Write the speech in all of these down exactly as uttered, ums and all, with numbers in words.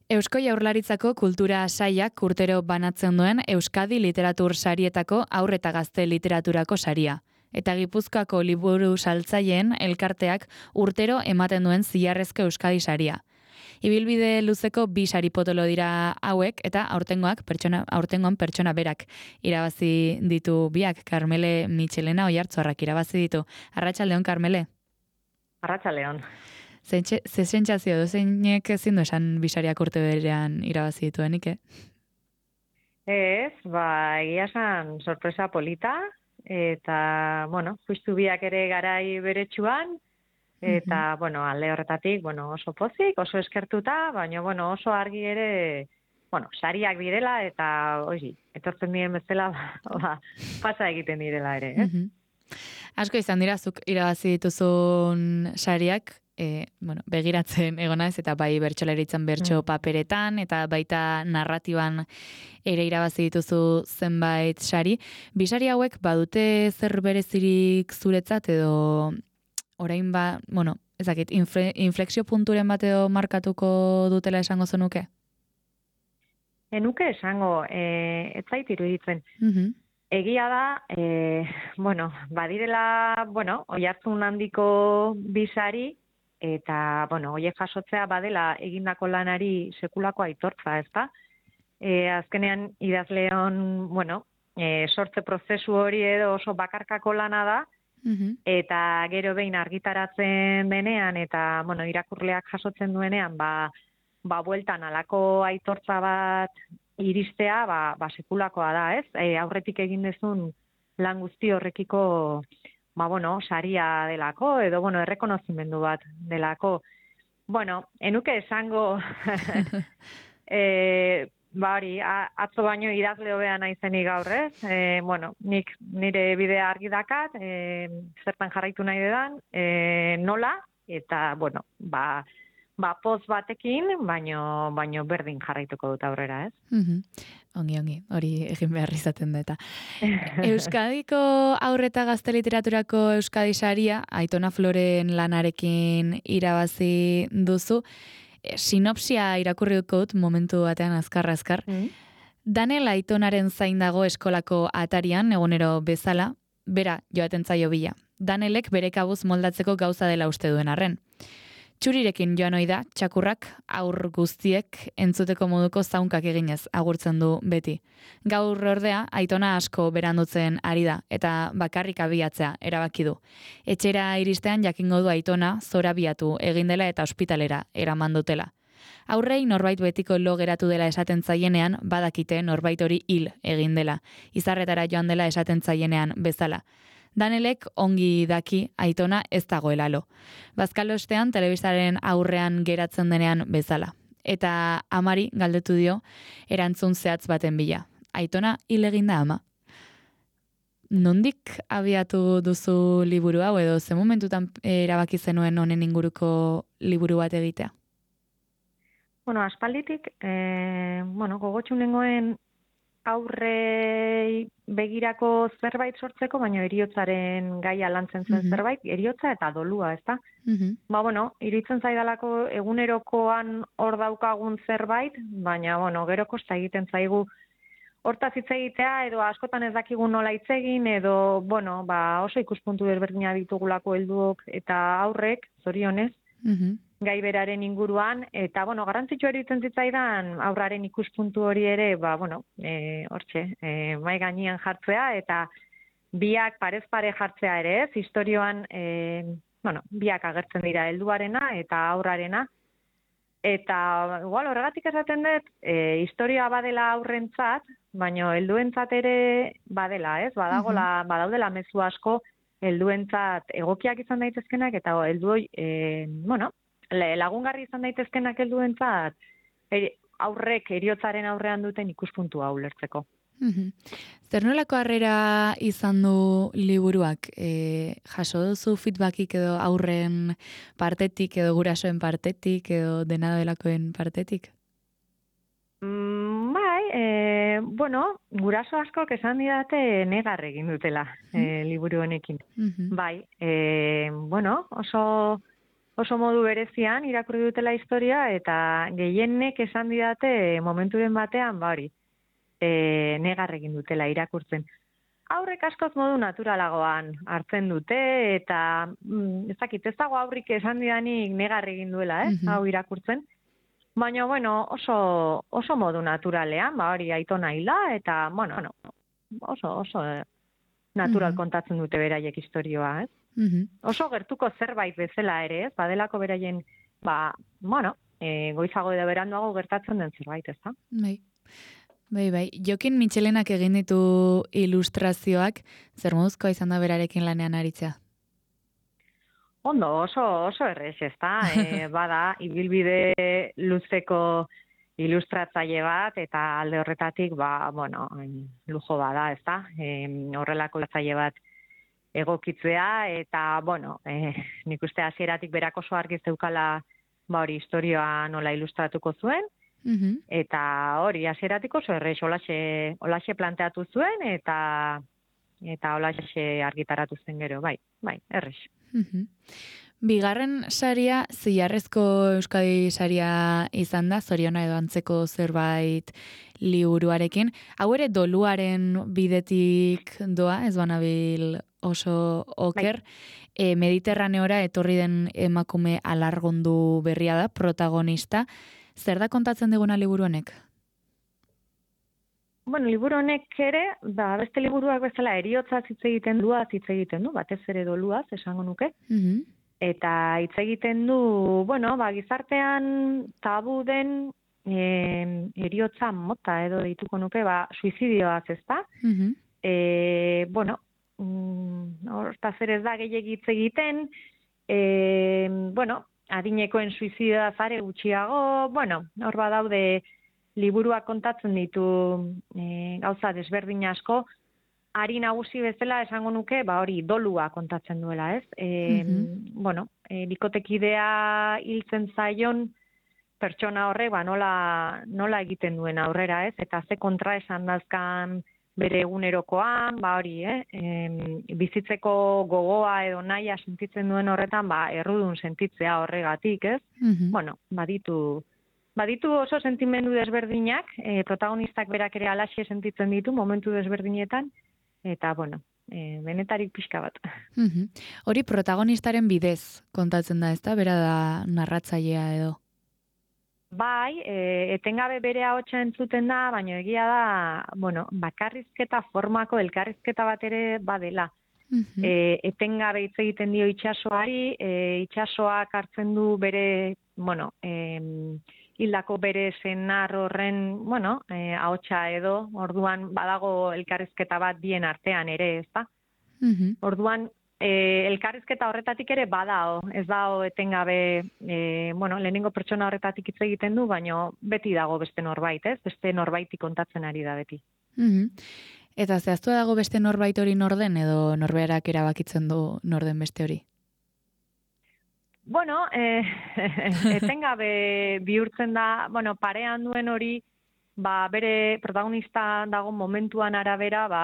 Eusko Jaurlaritzako Kultura Sailak urtero banatzen duen Euskadi Literatur Sarietako haur eta gazte literaturako saria. Eta Gipuzkoako liburu saltzaileen elkarteak urtero ematen duen zilarrezko Euskadi saria. Ibilbide luzeko bi sari potolo dira hauek eta aurtengoak pertsona aurtengoan pertsona berak irabazi ditu biak. Karmele Michelena Oiartzarrak irabazi ditu. Arratsaldeon Karmele. Arratsaldeon. Ze sentsazio du zeinek ezin du esan bisariak urte berean irabazi dituenik, eh? Ez, ba, egia esan sorpresa polita, eta, bueno, justu biak ere garai beretsuan, eta, uh-huh. bueno, alde horretatik, bueno, oso pozik, oso eskertuta, baina, bueno, oso argi ere, bueno, sariak direla, eta, oizi, etortzen diren bezala, ba, pasa egiten direla ere, eh? Uh-huh. Asko izan dira, zuk irabazi dituzun sariak, E, bueno, begiratzen egonaz eta bai bertsolaritzan bertso paperetan eta baita narratiban ere irabazi dituzu zenbait sari. Bi sari hauek badute zer berezirik zuretzat edo orain ba, bueno, ezakit, infle, inflexio punturen bat edo markatuko dutela esango zenuke? Enuke esango, e, ez zait iruditzen. Uh-huh. Egia da, e, bueno, badirela, bueno, oihartzun handiko bi sari, eta, bueno, hoiek jasotzea badela egindako lanari sekulako aitortza, ezta? E, azkenean idazleon, bueno, e, sortze prozesu hori edo oso bakarkako lana da, uh-huh. eta gero behin argitaratzen denean, eta, bueno, irakurleak jasotzen duenean, ba, ba bueltan alako aitortza bat iristea, ba, ba sekulakoa da, ez? E, aurretik egin dezun lan guzti horrekiko, ba, bueno, saria delako, edo, bueno, errekonozimendu bat delako. Bueno, enuke esango, e, ba hori, atzo baino idazle hobea naizenik gaur, ez? E, bueno, nik nire bidea argi dakat, e, zertan jarraitu nahi dedan, e, nola, eta, bueno, ba, ba poz batekin, baino, baino berdin jarraituko dut aurrera, ez? Uh-huh. Ongi, ongi, hori egin behar izaten da eta. Euskadiko haur eta gazte literaturako Euskadi saria, Aitona Floren lanarekin irabazi duzu. E, sinopsia irakurri dut momentu batean azkar-azkar. Mm. Daniel Aitonaren zain dago eskolako atarian, egunero bezala, bera joaten zaio bila. Danielek bere kabuz moldatzeko gauza dela uste duen arren. Txurirekin joan ohi da, txakurrak aur guztiek entzuteko moduko zaunkak eginez agurtzen du beti. Gaur ordea, Aitona asko berandutzen ari da, eta bakarrik abiatzea erabaki du. Etxera iristean jakingo du Aitona zorabiatu egin dela eta ospitalera eraman dutela. Aurrei norbait betiko lo geratu dela esaten zaienean, badakite norbait hori hil egin dela. Izarretara joan dela esaten zaienean bezala. Danelek ongi daki Aitona ez dagoela lo. Bazkalostean telebistaren aurrean geratzen denean bezala. Eta amari galdetu dio erantzun zehatz baten bila. Aitona hil egin da ama. Nondik abiatu duzu liburu hau edo ze momentutan erabaki zenuen honen inguruko liburu bat egitea? Bueno, aspalditik, eh, bueno, gogotxu nengoen aurrei begirako zerbait sortzeko, baina eriotzaren gaia lantzen zen uh-huh. zerbait, eriotza eta dolua, ezta? Uh-huh. Ba, bueno, iritzen zaidalako egunerokoan hor daukagun zerbait, baina, bueno, gero kosta egiten zaigu hortaz hitz egitea, edo askotan ez dakigu nola hitz egin, edo, bueno, ba, oso ikuspuntu desberdina ditugulako helduok eta aurrek, zorionez, uh-huh. gai beraren inguruan, eta, bueno, garrantzitsua eritzen zitzaidan aurraren ikuspuntu hori ere, ba, bueno, e, hortxe, e, mai gainean jartzea, eta biak parez pare jartzea ere, ez, historioan, e, bueno, biak agertzen dira helduarena eta aurrarena, eta, igual, horregatik esaten dut, e, historia badela aurrentzat, baina helduentzat ere badela, ez, badagola, uh-huh. badaudela mezu asko helduentzat egokiak izan daitezkenak, eta helduoi, e, bueno, lagungarri izan daitezkenak helduentzat eri, aurrek eriotzaren aurrean duten ikuspuntua ulertzeko. Mm-hmm. Zer nolako harrera izan du liburuak? E, jaso duzu feedbackik edo aurren partetik edo gurasoen partetik edo dena delakoen partetik? Mm, bai, e, bueno, guraso askok esan didate negar egin dutela mm-hmm. e, liburu honekin. Mm-hmm. Bai, e, bueno, oso oso modu berezian irakurri dutela historia, eta gehienek esan didate momenturen batean, ba hori, e, negar egin dutela irakurtzen. Aurrek askoz modu naturalagoan hartzen dute, eta mm, ez dakit, ez dago aurrik esan didanik negar egin duela, eh, hau irakurtzen. Baina, bueno, oso, oso modu naturalean, ba hori Aitona hila, eta, bueno, bueno oso, oso natural mm-hmm. kontatzen dute beraiek historioa, ez? Mm-hmm. Oso gertuko zerbait bezala ere, ez? Badelako beraien, ba, bueno, e, goizago edo beranduago gertatzen den zerbait, ez da? Bai. Bai, bai. Jokin Mitxelenak egin ditu ilustrazioak, zer moduzkoa izan da berarekin lanean aritzea? Ondo, oso, oso errez, ez da? E, bada, ibilbide luzeko ilustratzaile bat, eta alde horretatik, ba, bueno, lujo bada, ez da? E, horrelako ilustratzaile bat egokitzea, eta, bueno, e, nik uste hasieratik berak oso argi zeukala, ba hori, historioa nola ilustratuko zuen, mm-hmm. eta hori, hasieratik oso errez, olaxe, olaxe planteatu zuen, eta eta olaxe argitaratu zen gero, bai, bai, errez. Mm-hmm. Bigarren saria, zilarrezko Euskadi saria izan da, zoriona edo antzeko zerbait liburuarekin. Hau ere doluaren bidetik doa, ez banabil oso oker. Bai. E, Mediterraneora etorri den emakume alargundu berria da, protagonista. Zer da kontatzen diguna liburu honek? Bueno, liburu honek ere, ba, beste liburuak bezala eriotza hitz egiten du, hitz egiten du, batez ere doluaz, esango nuke. Mm-hmm. Eta hitz egiten du, bueno, ba, gizartean tabu den e, eriotza mota edo dituko nuke, ba, suizidioaz, ez da? Mm-hmm. E, bueno, hortaz ere ez da gehiagik hitz egiten, e, bueno, adinekoen suizidioa zare gutxiago, bueno, hor badaude liburuak kontatzen ditu e, gauza desberdin asko, ari nagusi bezala esango nuke, ba hori dolua kontatzen duela, ez? E, mm-hmm. Bueno, e, bikotekidea hiltzen zaion pertsona horrek, ba nola, nola egiten duen aurrera, ez? Eta ze kontra esan dazkan bere egunerokoan, ba hori, eh? E, bizitzeko gogoa edo nahia sentitzen duen horretan, ba errudun sentitzea horregatik, ez? Mm-hmm. Bueno, baditu Baditu oso sentimendu desberdinak, e, protagonistak berak ere alaxe sentitzen ditu momentu desberdinetan, eta, bueno, e, benetarik pixka bat. Mm-hmm. Hori protagonistaren bidez kontatzen da, ezta? Bera da narratzailea edo? Bai, e, etengabe bere ahotsa entzuten da, baina egia da, bueno, bakarrizketa formako elkarrizketa bat ere badela. Mm-hmm. E, etengabe hitz egiten dio itsasoari, e, itsasoak hartzen du bere, bueno, e, hildako bere senar horren, bueno, eh, ahotsa edo, orduan badago elkarrizketa bat bien artean ere, ez da? Mm-hmm. Orduan, eh, elkarrizketa horretatik ere badao, ez dao etengabe, eh, bueno, lehenengo pertsona horretatik hitz egiten du, baina beti dago beste norbait, ez? Beste norbaiti kontatzen ari da beti. Mm-hmm. Eta zehaztu dago beste norbait hori norden, edo norberak erabakitzen du norden beste hori? Bueno, eh, etengabe bihurtzen da, bueno, parean duen hori, ba, bere protagonista dago momentuan arabera, ba,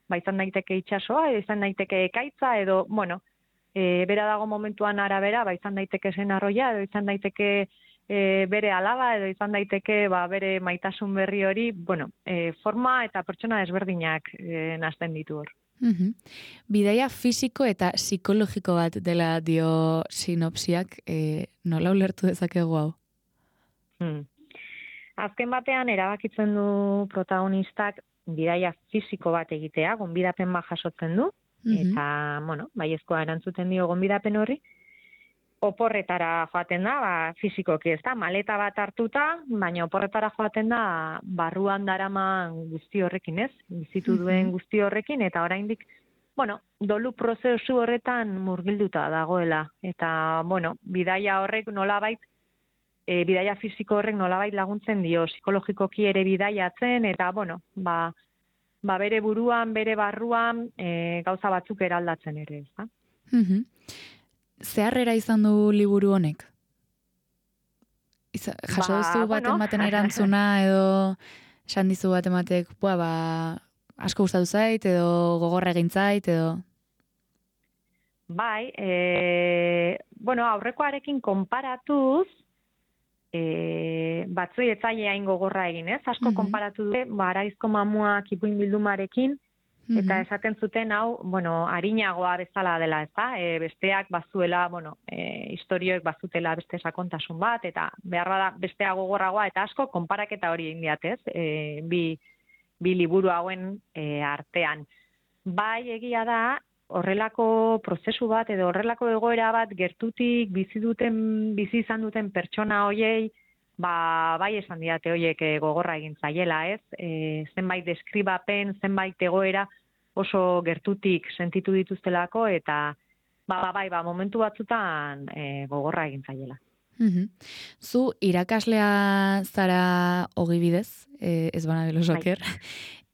ba izan daiteke itsasoa, izan daiteke ekaitza, edo, bueno, e, bera dago momentuan arabera, ba, izan daiteke zen arroia, edo izan daiteke e, bere alaba, edo izan daiteke, ba, bere maitasun berri hori, bueno, e, forma eta pertsona desberdinak e, nazten ditu hor. Mm-hmm. Bidaia fisiko eta psikologiko bat dela dio sinopsiak, e, nola ulertu dezakegu hau? Hmm. Azken batean erabakitzen du protagonistak bidaia fisiko bat egitea, gonbidapen bat jasotzen du, mm-hmm. eta, bueno, baiezkoa erantzuten dio gonbidapen horri, oporretara joaten da, ba, fisikoki ez da, maleta bat hartuta, baina oporretara joaten da barruan daraman guzti horrekin, ez? Bizitu duen guzti horrekin, eta oraindik, bueno, dolu prozesu horretan murgilduta dagoela. Eta, bueno, bidaia horrek nolabait, e, bidaia fisiko horrek nolabait laguntzen dio, psikologikoki ere bidaiatzen, eta, bueno, ba, ba bere buruan, bere barruan, e, gauza batzuk eraldatzen ere, ez da? Mhm. Zeharrera izan du liburu honek? Iza, jaso duzu ba, baten bueno. baten erantzuna edo esan dizu baten batek, bua, ba, asko gustatu zait edo gogorra egin zait edo... Bai, e, bueno, aurrekoarekin konparatuz, e, batzui etzaile hain gogorra egin, ez? Asko mm-hmm. konparatu dute, ba, Araizko Mamuak ipuin bildumarekin, eta mm-hmm. esaten zuten hau, bueno, arinagoa bezala dela, ez da? E, besteak bazuela, bueno, e, historioek bazutela beste sakontasun bat, eta behar bada bestea gogorragoa, eta asko konparaketa hori egin diat, ez? E, bi, bi liburu hauen e, artean. Bai, egia da, horrelako prozesu bat edo horrelako egoera bat gertutik bizi duten bizi izan duten pertsona hoiei ba bai esan diate hoiek gogorra egin zaiela, ez? E, zenbait deskribapen, zenbait egoera oso gertutik sentitu dituztelako eta ba bai ba momentu batzutan e, gogorra egin zaiela. Mm-hmm. Zu irakaslea zara ogibidez, eh, ez bana belosoker.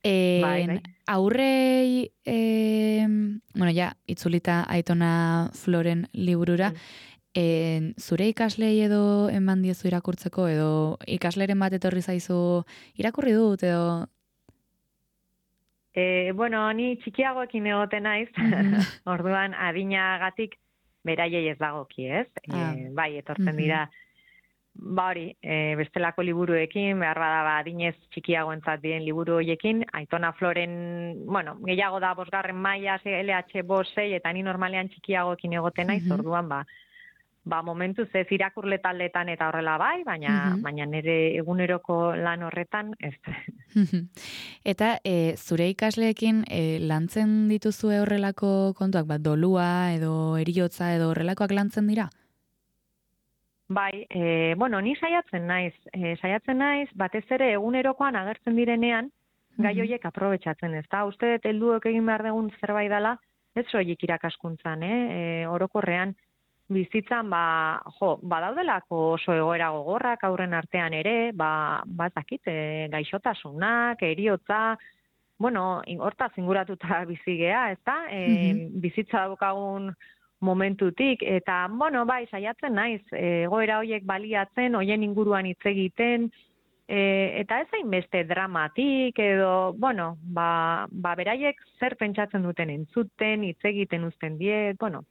En, bai, bai. Aurrei, eh, bueno, ja, itzulita Aitona Floren liburura, mm. en, zure ikaslei edo eman diezu irakurtzeko, edo ikasleren bat etorri zaizu irakurri dut, edo... E, bueno, ni txikiagoekin egoten naiz, mm-hmm. orduan adinagatik beraiei ez dagoki, ez? Ah. E, bai, etortzen mm-hmm. dira... Ba hori, e, bestelako liburuekin, behar bada ba, adinez txikiagoentzat diren liburu horiekin, Aitona Floren, bueno, gehiago da bosgarren maila, L H bost sei, eta ni normalean txikiagoekin egoten naiz, mm-hmm. orduan ba, ba momentu ez irakurle taldetan eta horrela bai, baina, mm-hmm. baina nire eguneroko lan horretan ez. Eta e, zure ikasleekin e, lantzen dituzue horrelako kontuak, bat dolua edo eriotza edo horrelakoak lantzen dira? Bai, e, bueno, ni saiatzen naiz, e, saiatzen naiz, batez ere egunerokoan agertzen direnean, mm-hmm. gai horiek aprobetxatzen, ez da? Uste dut helduek egin behar dugun zerbait dela, ez soilik irakaskuntzan, eh? E, orokorrean bizitzan, ba, jo, badaudelako oso egoera gogorrak aurren artean ere, ba, ba zakit, e, gaixotasunak, eriotza, bueno, hortaz inguratuta bizigea, ez da? E, mm-hmm. Bizitza daukagun momentutik, eta, bueno, bai, saiatzen naiz, egoera horiek baliatzen, hoien inguruan hitz egiten, e, eta ez hainbeste dramatik, edo, bueno, ba, ba beraiek zer pentsatzen duten entzuten, hitz egiten uzten diet, bueno,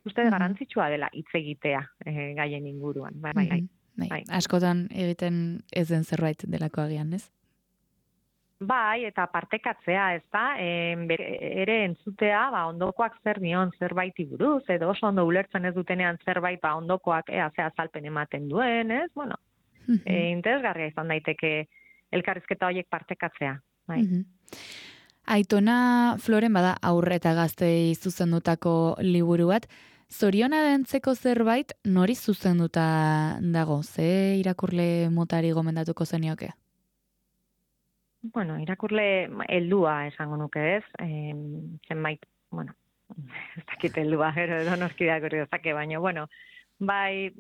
uste mm-hmm. garantzitsua dela hitz egitea e, gaien inguruan, bai, bai, mm-hmm. bai. bai. Askotan egiten ez den zerbait delako agian, ez? Bai, eta partekatzea, ez da, e, ere entzutea, ba, ondokoak zer dion zerbaiti buruz, edo oso ondo ulertzen ez dutenean zerbait, ba, ondokoak ea ze azalpen ematen duen, ez, bueno, mm-hmm. e, interesgarria izan daiteke elkarrizketa horiek partekatzea, bai. Mm-hmm. Aitona Floren bada aurre eta gaztei zuzendutako liburu bat, zoriona dentzeko zerbait nori zuzenduta dago, ze irakurle motari gomendatuko zenioke? Bueno, irakurle heldua esango nuke, ez? Eh, zenbait, bueno, ez dakit heldua, gero edo noski irakurri dezake, baina, bueno, bai,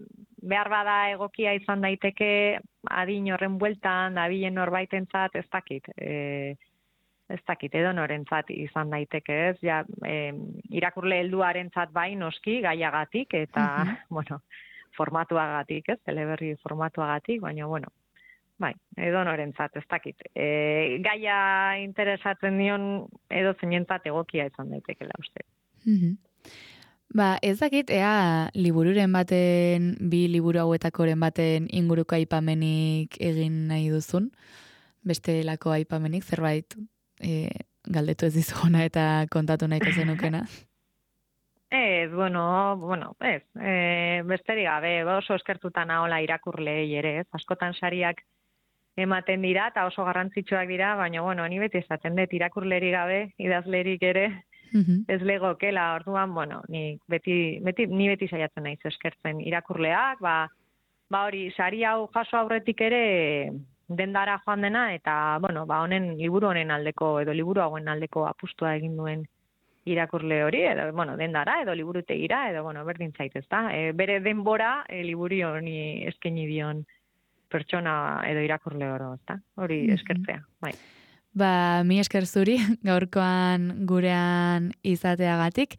behar bada egokia izan daiteke adin horren bueltan, dabilen norbaitentzat, ez dakit, e, ez dakit, edo norentzat izan daiteke, ez? Ja, e, irakurle helduarentzat bai noski, gaiagatik, eta, uh-huh. bueno, formatuagatik, ez? Teleberri formatuagatik, baina, bueno, bai, edo norentzat, ez dakit. E, gaia interesatzen dion edo zeinentzat egokia izan daitekela uste. Mm-hmm. Ba, ez dakit, ea libururen baten, bi liburu hauetakoren baten inguruko aipamenik egin nahi duzun, bestelako aipamenik, zerbait e, galdetu ez dizuguna eta kontatu nahiko zenukena. Ez, bueno, bueno, ez, e, besterik gabe, oso eskertuta nahola irakurlei ere, ez, askotan sariak ematen dira, eta oso garrantzitsuak dira, baina, bueno, ni beti esaten dut, irakurleri gabe, idazlerik ere, mm-hmm. ez legokela, orduan, bueno, ni beti, beti, ni beti saiatzen naiz eskertzen irakurleak, ba, ba hori, sari hau jaso aurretik ere dendara joan dena, eta, bueno, ba, honen, liburu honen aldeko, edo liburu hauen aldeko apustua egin duen irakurle hori, edo, bueno, dendara, edo liburutegira, edo, bueno, berdin zaitez, da, e, bere denbora, e, liburi honi eskaini dion pertsona edo irakurle oro, ezta? Hori eskertzea, bai. Ba, mi esker zuri, gaurkoan gurean izateagatik,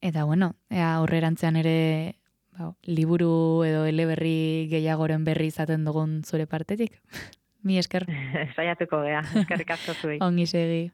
eta bueno, ea aurrerantzean ere ba, liburu edo eleberri gehiagoren berri izaten dugun zure partetik. Mi esker. Saiatuko gea, eskerrik asko zuei. Ongi segi.